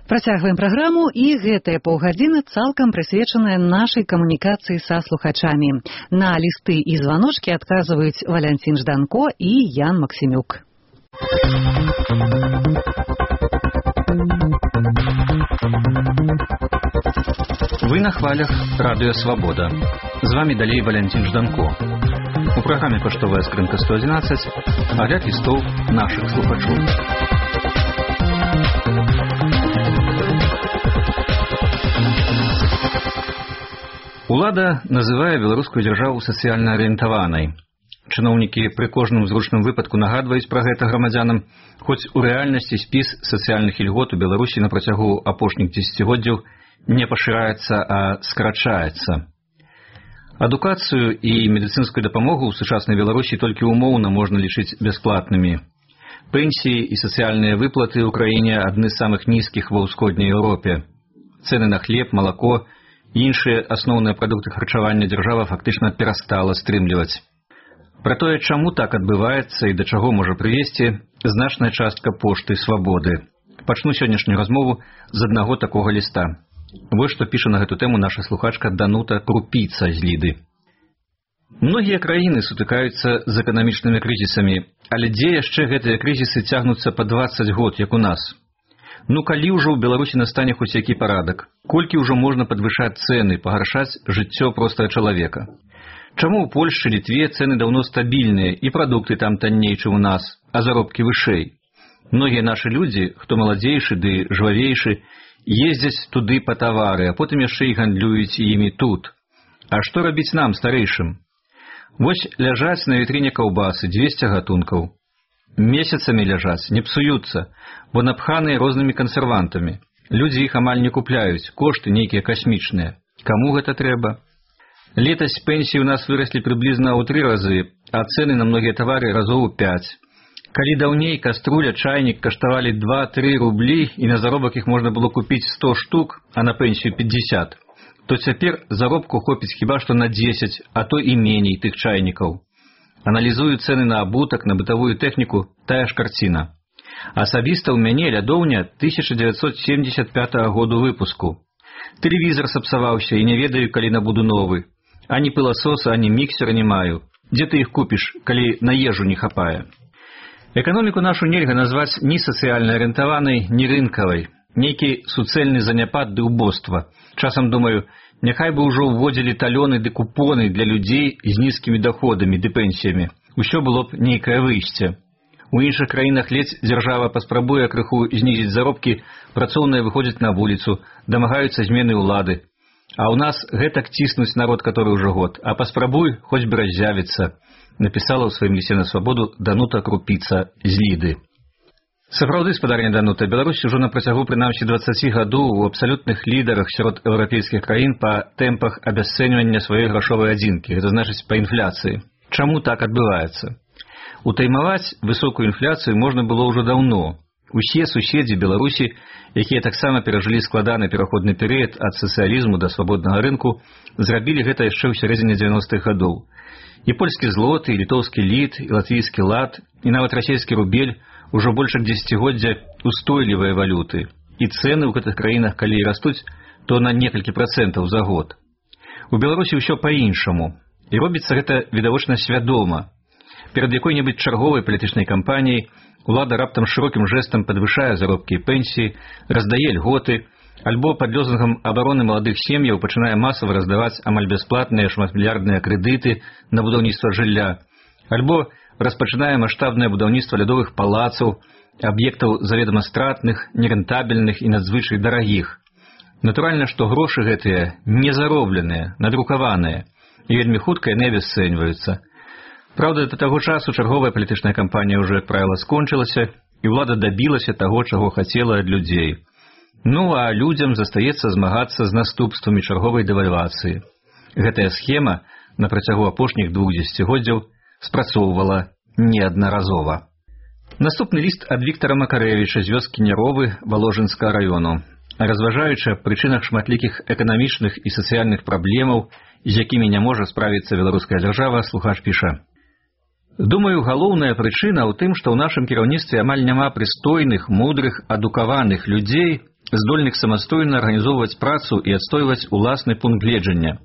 Працягваем праграму, і гэтая паўгадзіна цалкам прысвечаная нашай камунікацыі са слухачамі. На лісты і званочкі адказваюць Валянцін Жданко і Ян Максімюк. Вы на хвалях Радыё Свабода. З вами далей Валянцін Жданко. У праграме «Паштовая скрынка 111» агляд лістоў нашых слухачоў. Улада называе беларускую дзяржаву сацыяльна арыентаванай. Чыноўнікі пры кожным зручным выпадку нагадваюць пра гэта грамадзянам, хоць у рэальнасці спіс сацыяльных ільгот у Беларусі на працягу апошніх дзесяцігоддзяў не пашыраецца, а скарачаецца. Адукацыю і медыцынскую дапамогу ў сучаснай Беларусі толькі умоўна можна лічыць бясплатнымі. Пенсіі і сацыяльныя выплаты ў краіне адны з самых нізкіх ва ўсходняй Еўропе. Цэны на хлеб, малако і іншыя асноўныя прадукты харчавання дзяржава фактычна перастала стрымліваць. Пра тое, чаму так адбываецца і да чаго можа прывесці, значная частка пошты свабоды. Пачну сённяшнюю размову з аднаго такога ліста. Вось што піша на гэту тэму наша слухачка Данута Крупіца з Ліды. Многія краіны сутыкаюцца з эканамічнымі крызісамі, але дзе яшчэ гэтыя крызісы цягнуцца па 20 год, як у нас? Ну калі ўжо ў Беларусі настане хоць які парадак? Колькі ўжо можна падвышаць цэны, пагаршаць жыццё простага чалавека? Чаму ў Польшчы, Літве цэны даўно стабільныя і прадукты там танней, чым у нас, а заробкі вышэй? Многія нашы людзі, хто маладзейшы ды жвавейшы, ездзяць туды па тавары, а потым яшчэ і гандлююць імі тут. А што рабіць нам, старэйшым? Вось ляжаць на вітрыне каўбасы 200 гатункаў. Месяцамі ляжаць, не псуюцца, бо напханыя рознымі кансервантамі. Людзі іх амаль не купляюць, кошты нейкія касмічныя. Каму гэта трэба? Летась пенсіі ў нас выраслі прыблізна ў 3 разы, а цэны на многія тавары разоў у 5. Калі даўней каструля, чайнік каштавалі 2-3 рублі і на заробак іх можна было купіць 100 штук, а на пенсію 50, то цяпер заробку хопіць хіба што на 10, а то і меней тых чайнікаў. Аналізую цэны на абутак, на бытавую тэхніку, тая ж карціна. Асабіста ў мяне лядоўня 1975 году выпуску. Тэлевізар сапсаваўся і не ведаю, калі набуду новы. Ані пыласоса, ані міксера не маю. Дзе ты іх купіш, калі на ежу не хапае? Эканоміку нашу нельга назваць ні сацыяльна арыентаванай, ні рынкавай. Нейкі суцэльны заняпад ды ўбоства. Часам думаю, няхай бы ўжо ўводзілі талёны ды купоны для людзей з нізкімі доходамі ды пенсіямі. Усё было б нейкае выйсце. У іншых краінах ледзь дзяржава паспрабуе крыху знізіць заробкі, працоўныя выходзяць на вуліцу, дамагаюцца змены ўлады. А ў нас гэтак ціснуць народ, который ўжо год. А паспрабуй, хоць бы раззявіцца, напісала ў сваім лісце на свабоду Данута Крупіца з Ліды. Сапраўды, спадарня Данута, Беларусь ужо на працягу прынамсі 20 гадоў у абсалютных лідарах сярод еўрапейскіх краін па тэмпах абясцэньвання сваёй грашовай адзінкі, гэта значыць па інфляцыі. Чаму так адбываецца? Утаймаваць высокую інфляцыю можна было ўжо даўно. Усе суседзі Беларусі, якія таксама перажылі складаны пераходны перыяд ад сацыялізму да свабоднага рынку, зрабілі гэта яшчэ ў сярэдзіне 90-х гадоў. І польскі злоты, і літоўскі літ, і латвійскі лат, і нават расійскі рубель ужо больш як дзесяцігоддзя устойлівыя валюты. І цэны ў гэтых краінах, калі і растуць, то на некалькі працэнтаў за год. У Беларусі ўсё па-іншаму. І робіцца гэта відавочна свядома. Перад якой-небудзь чарговай палітычнай кампаніяй улада раптам шырокім жэстам падвышае заробкі і пенсіі, раздае льготы, альбо пад лозунгам абароны маладых сем'яў пачынае масава раздаваць амаль бясплатныя шматмільярдныя крэдыты на будаўніцтва жылля, альбо распачынае маштабнае будаўніцтва лядовых палацаў, аб'ектаў заведама стратных, нерэнтабельных і надзвычай дарагіх. Натуральна, што грошы гэтыя не заробленыя, надрукаваныя, і вельмі хутка яны абясцэньваюцца. Праўда, да таго часу чарговая палітычная кампанія ўжо, як правіла, скончылася, і ўлада дабілася таго, чаго хацела ад людзей. Ну, а людзям застаецца змагацца з наступствамі чарговай дэвальвацыі. Гэтая схема на працягу апошніх 2 дзесяцігоддзяў спрацоўвала неаднаразова. Наступны ліст ад Віктара Макарэвіча з вёскі Няровы Валожынскага раёну. Разважаючы аб прычынах шматлікіх эканамічных і сацыяльных праблемаў, з якімі не можа справіцца беларуская дзяржава, слухач піша: Думаю, галоўная прычына ў тым, што ў нашым кіраўніцтве амаль няма прыстойных, мудрых, адукаваных людзей, здольных самастойна арганізоўваць працу і адстойваць уласны пункт гледжання.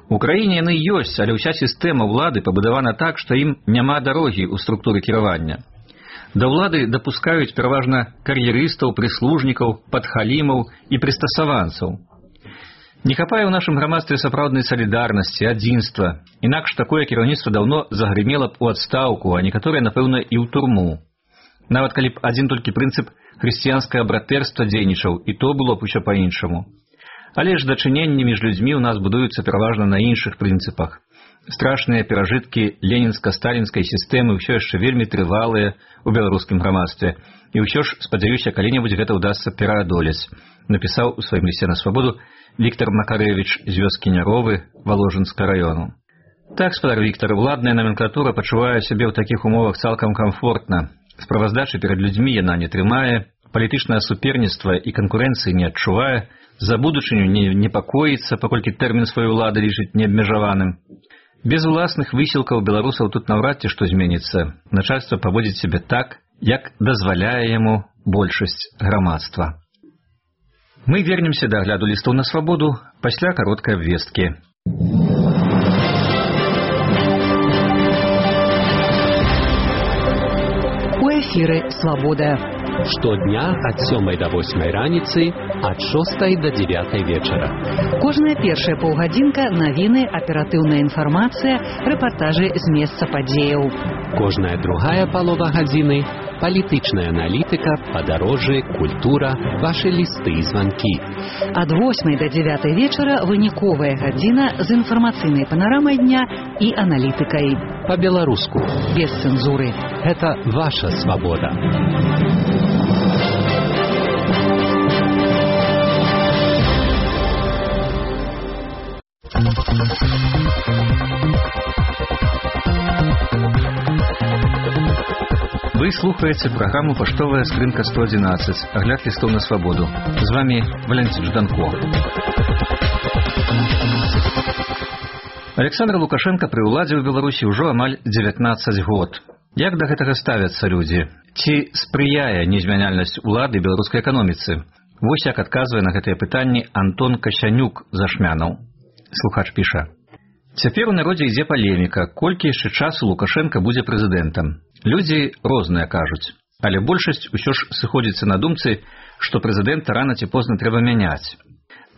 У краіне яны ёсць, але ўся сістэма ўлады пабудавана так, што ім няма дарогі ў структуры кіравання. Да ўлады дапускаюць пераважна кар'ерыстаў, прыслужнікаў, падхалімаў і прыстасаванцаў. Не хапае ў нашым грамадстве сапраўднай салідарнасці, адзінства. Інакш такое кіраўніцтва даўно загрымела б у адстаўку, а некаторыя, напэўна, і ў турму. Нават калі б адзін толькі прынцып хрысціянскае братэрства дзейнічаў, і то было б усё па-іншаму. Але ж дачыненні між людзьмі ў нас будуюцца пераважна на іншых прынцыпах. Страшныя перажыткі ленінска-сталінскай сістэмы ўсё яшчэ вельмі трывалыя ў беларускім грамадстве. І ўсё ж, спадзяюся, калі-небудзь гэта ўдасца пераадолець, напісаў у сваім лісце на свабоду Віктор Макарэвіч з вёскі Няровы Валожынска раёну. Так, спадар Віктор, уладная номенклатура пачувае сябе ў такіх умовах цалкам камфортна. Справаздачы перад людзьмі яна не трымае, палітычнае суперніцтва і канкурэнцыі не адчувае, за будучыню не непакоіцца, паколькі тэрмін сваёй улады лічыць неабмежаваным. Без уласных высілкаў беларусаў тут наўрад ці што зменіцца. Начальства паводзіць сябе так, як дазваляе яму большасць грамадства. Мы вернемся да агляду лістаў на свабоду пасля кароткай абвесткі. У эфіры «Свабода». Штодня ад 7 до 8 раніцы, ад 6 до 9 вечара. Кожная першая паўгадзінка навіны, аператыўная інфармацыя, рэпартажы з месца падзеяў. Кожная другая палова гадзіны – палітычная аналітыка, падарожжы, культура, вашы лісты і званкі. Ад 8 до 9 вечара выніковая гадзіна з інфармацыйнай панарамай дня і аналітыкай. Па-беларуску. Без цэнзуры. Гэта ваша свабода. Вы слухаеце праграму «Паштовая скрынка 111», агляд лістаў на свабоду. З вами Валянцін Жданко. Александр Лукашенко пры ўладзе ў Беларусі ўжо амаль 19 год. Як да гэтага ставяцца людзі? Ці спрыяе незмяняльнасць улады беларускай эканоміцы? Вось як адказвае на гэтыя пытанні Антон Касянюк з Ашмянаў. Слухач піша. Цяпер у народзе ідзе палеміка, колькі яшчэ часу Лукашенко будзе прэзідэнтам. Людзі розныя кажуць, але большасць усё ж сыходзіцца на думцы, што прэзідэнта рана ці позна трэба мяняць.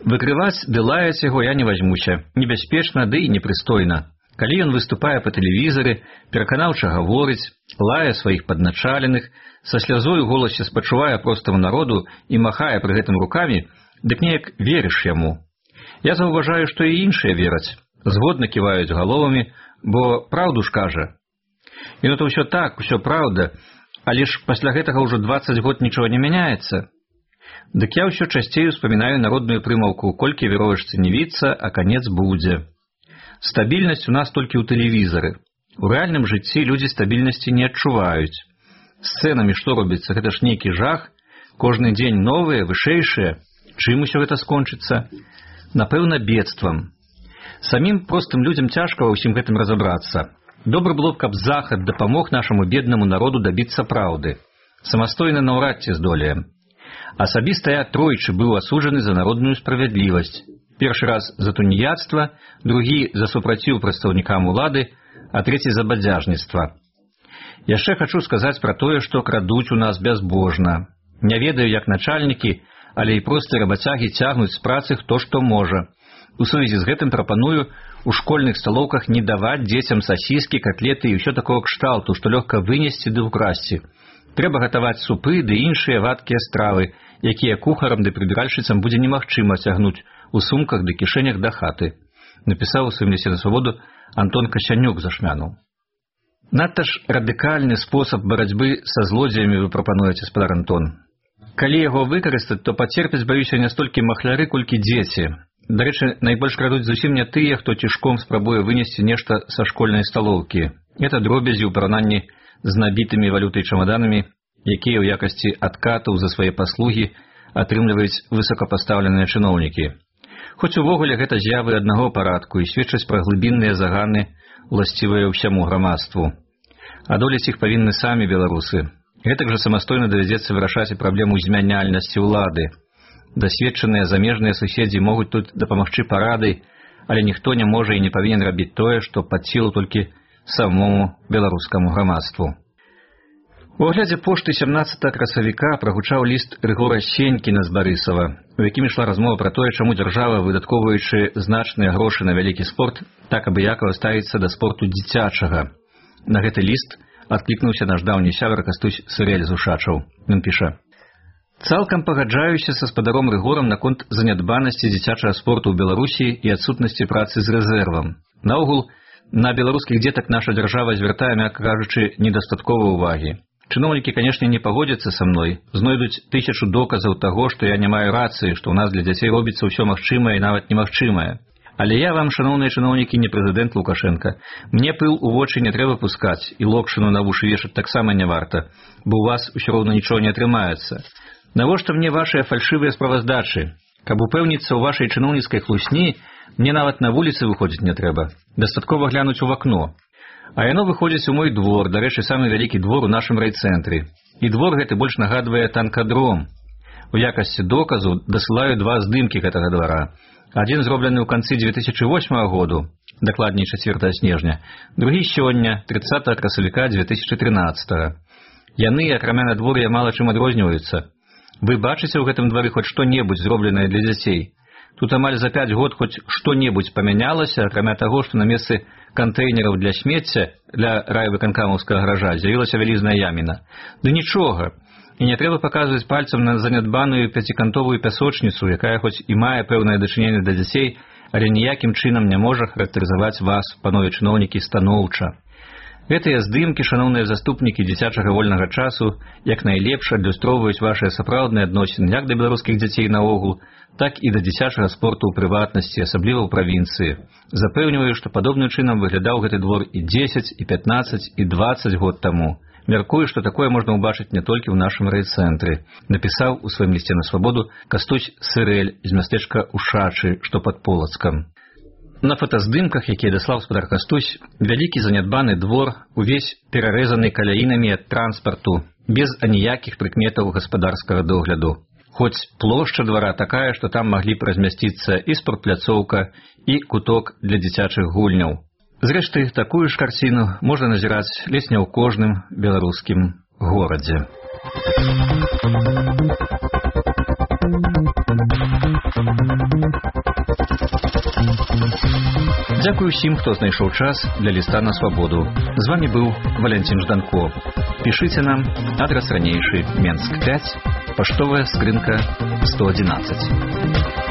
Выкрываць ды лаяць яго я не вазьмуся, небяспечна ды і непрыстойна. Калі ён выступае па тэлевізары, пераканаўча гаворыць, лае сваіх падначаленых, са слязой у голасе спачувае простаму народу і махае пры гэтым рукамі, дык неяк верыш яму. Я заўважаю, што і іншыя вераць, згодна ківаюць галовамі, бо праўду ж кажа. І ну то ўсё так, усё праўда, але ж пасля гэтага ўжо 20 год нічого не мяняецца. Дык я ўсё часцей успамінаю народную прымаўку «Колькі веровачцы не віцца, а канец будзе». Стабільнасць у нас толькі ў тэлевізары. У рэальным жыцці людзі стабільнасці не адчуваюць. З цэнамі што робіцца? Гэта ж нейкі жах. Кожны дзень новыя, вышэйшыя. Чым усё гэта скончыцца? Напэўна, бедствам. Самім простым людзям цяжка ва ўсім гэтым разабрацца. Добра было б, каб Захад дапамог нашаму беднаму народу дабіцца праўды. Самастойна наўрад ці здолеем. Асабіста я тройчы быў асуджаны за народную справядлівасць. Першы раз за туніяцтва, другі за супраціў прадстаўнікам улады, а трэці за бадзяжніцтва. Яшчэ хачу сказаць пра тое, што крадуць у нас бязбожна. Не ведаю, як начальнікі, але і простыя рабацягі цягнуць з працы хто што можа. У сувязі з гэтым прапаную у школьных сталоўках не даваць дзецям сасіскі, котлеты і ўсё такого кшталту, што лёгка вынесці ды ўкрасці. Трэба гатаваць супы ды іншыя вадкія стравы, якія кухарам ды прыбіральшыцам будзе немагчыма цягнуць у сумках ды кішэнях да хаты. Напісаў у сваім лісце на свабоду Антон Касянюк з Ашмянаў. Надта ж радыкальны спосаб барацьбы са злодзеямі вы прапануеце, спадар Антон. Калі яго выкарыстаць, то пацерпяць, баюся, не столькі махляры, колькі дзеці. Дарэчы, найбольш крадуць зусім не тыя, хто цішком спрабуе вынесці нешта са школьнай сталоўкі. Это дробязі ў параўнанні з набітымі валютай чамаданамі, якія ў якасці адкатаў за свае паслугі атрымліваюць высокапастаўленыя чыноўнікі. Хоць увогуле гэта з'явы аднаго парадку і сведчаць пра глыбінныя заганы, уласцівыя ўсяму грамадству. Адолець іх павінны самі беларусы. Гэтак жа самастойна давядзецца вырашаць і праблему змяняльнасці ўлады. Дасведчаныя замежныя суседзі могуць тут дапамагчы парадай, але ніхто не можа і не павінен рабіць тое, што пад сілу толькі самому беларускаму грамадству. У аглядзе пошты 17 красавіка прагучаў ліст Рыгора Сенькіна з Барысава, у якім ішла размова пра тое, чаму дзяржава, выдаткоўваючы значныя грошы на вялікі спорт, так абыякава ставіцца да спорту дзіцячага. На гэты ліст адклікнуўся наш даўні сябар Кастусь Сырэль з Ушачаў. Ён піша: «Цалкам пагаджаюся са спадаром Рыгорам наконт занядбанасці дзіцячага спорту ў Беларусі і адсутнасці працы з рэзервам. Наогул, на беларускіх дзетак наша дзяржава звяртае, мякка кажучы, недастаткова ўвагі. Чыноўнікі, канешне, не пагодзяцца са мной, знойдуць 1000 доказаў таго, што я не маю рацыі, што ў нас для дзяцей робіцца ўсё магчымае і нават немагчымае. Але я вам, шаноўныя чыноўнікі, не прэзідэнт Лукашенка. Мне пыл у вочы не трэба пускаць, і локшыну на вушы вешаць таксама не варта, бо ў вас усё роўна нічого не атрымаецца. Навошта мне вашыя фальшывыя справаздачы? Каб упэўніцца ў вашай чыноўніцкай хлусні, мне нават на вуліцы выходзіць не трэба. Дастаткова глянуць у вакно. А яно выходзіць у мой двор, дарэчы, самы вялікі двор у нашым райцэнтры. І двор гэты больш нагадвае танкадром. У якасці доказу дасылаю 2 здымкі гэтага двара. Адзін зроблены ў канцы 2008 году, дакладней 4 снежня, другі сёння, 30 красавіка 2013. Яны, акрамя надвор'я, мала чым адрозніваюцца. Вы бачыце ў гэтым двары хоць што-небудзь зробленае для дзяцей? Тут амаль за 5 год хоць што-небудзь памянялася, акрамя таго, што на месцы кантэйнераў для смецця для райвыканкамаўскага гаража з'явілася вялізная яміна. Ды нічога. І не трэба паказваць пальцам на занядбаную 5-кантовую пясочніцу, якая хоць і мае пэўнае дачыненне да дзяцей, але ніякім чынам не можа характарызаваць вас, панове чыноўнікі, станоўча. Гэтыя здымкі, шаноўныя заступнікі дзіцячага вольнага часу, як найлепш адлюстроўваюць вашыя сапраўдныя адносіны як да беларускіх дзяцей наогул, так і да дзіцячага спорту ў прыватнасці, асабліва ў правінцыі. Запэўніваю, што падобным чынам выглядаў гэты двор і 10, і 15, і 20 год таму. Мяркую, што такое можна ўбачыць не толькі ў нашым райцэнтры, напісаў у сваім лісце на свабоду Кастусь Сырэль з мястэчка Ушачы, што пад Полацкам. На фотаздымках, якія даслаў спадар Кастусь, вялікі занядбаны двор, увесь перарэзаны каляінамі ад транспарту, без аніякіх прыкметаў гаспадарскага догляду. Хоць плошча двара такая, што там маглі б размясціцца і спортпляцоўка, і куток для дзіцячых гульняў. Зрэшты, такую ж карціну можна назіраць ледзь не ў кожным беларускім горадзе. Дзякую ўсім, хто знайшоў час для ліста на свабоду. З вами быў Валянцін Жданко. Пішыце нам, адрас ранейшы, Менск 5, паштовая скрынка 111.